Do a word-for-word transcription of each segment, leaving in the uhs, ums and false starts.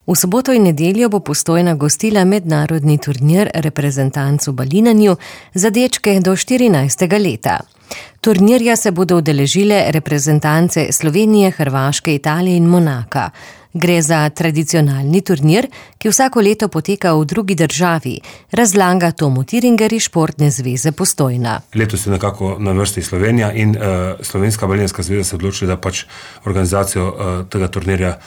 V soboto in nedeljo bo Postojna gostila mednarodni turnir reprezentanc v balinanju za dečke do štirinajstega leta. Turnirja se bodo udeležile reprezentance Slovenije, Hrvaške, Italije in Monaka. Gre za tradicionalni turnir, ki vsako leto poteka v drugi državi, razlaga Tomo Tiringer iz Športne zveze Postojna. Letos je nekako na vrsti Slovenija in uh, Slovenska balinarska zveza se odločila, da pač organizacijo uh, tega turnirja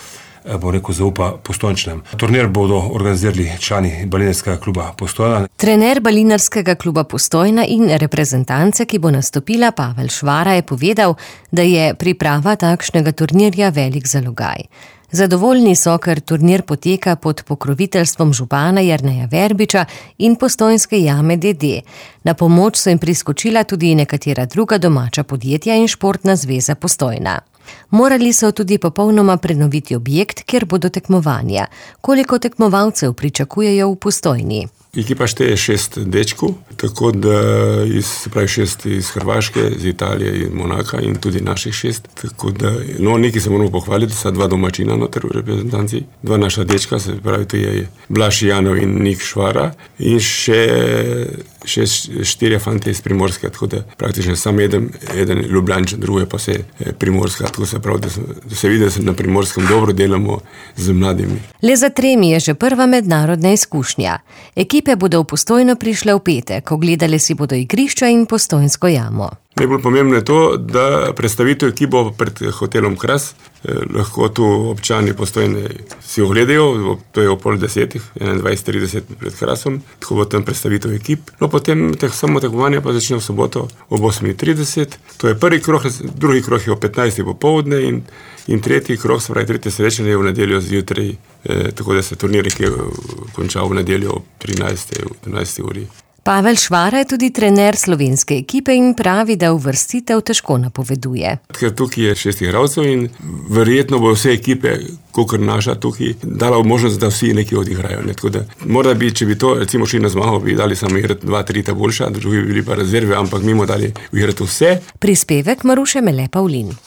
bo rekel zaupa Postojnčanom. Turnir bodo organizirali člani balinarskega kluba Postojna. Trener balinarskega kluba Postojna in reprezentance, ki bo nastopila, Pavel Švara, je povedal, da je priprava takšnega turnirja velik zalogaj. Zadovoljni so, ker turnir poteka pod pokroviteljstvom župana Jerneja Verbiča in Postojnske jame D D. Na pomoč so jim priskočila tudi nekatera druga domača podjetja in Športna zveza Postojna. Morali so tudi popolnoma prenoviti objekt, kjer bodo tekmovanja. Koliko tekmovalcev pričakujejo v Postojni? Ekipa šteje šest dečkov, tako da iz, se pravi šest iz Hrvaške, iz Italije in Monaka in tudi naših šest. Tako da, no, nekaj se moramo pohvaliti, sta dva domačina noter v reprezentanci, dva naša dečka, se pravi, to je Blaž Janov in Nik Švara in še, še štirje fante iz Primorske, tako da praktično sam eden, eden Ljubljančan, druge pa se Primorska, tako se pravi, da, sem, da se vidi, da se na Primorskem dobro delamo z mladimi. Le za tremi je že prva mednarodna izkušnja. Ekipe bodo v Postojno prišle v petek, ogledale si bodo igrišča in Postojnsko jamo. Najbolj pomembno je to, da predstavitev ekipo pred hotelom Kras, eh, lahko tu občani Postojne si ogledajo, to je o pol desetih, enaindvajset trideset pred Krasom, tako bo tam predstavitev ekip. No, potem teh samo tekmovanja pa začne v soboto ob osem trideset, to je prvi krog, drugi krog je o petnajstih popoldne in, in tretji krog, se pravi tretje srečanje je v nedeljo zjutraj, eh, tako da se turnir, ki je končal v nedeljo ob trinajsti uri. Pavel Švara je tudi trener slovenske ekipe in pravi, da uvrstitev težko napoveduje. Ker tukaj je šest igralcev in verjetno bo vse ekipe, kakor naša tukaj, dala možnost, da vsi nekaj odigrajo. Ne? Tako da, morda bi, če bi to recimo šli na zmago, bi dali samo igrati dva, tri ta boljša, drugi bi bili pa rezerve, ampak mimo dali igrati vse. Prispevek Maruše Mele Pavlin.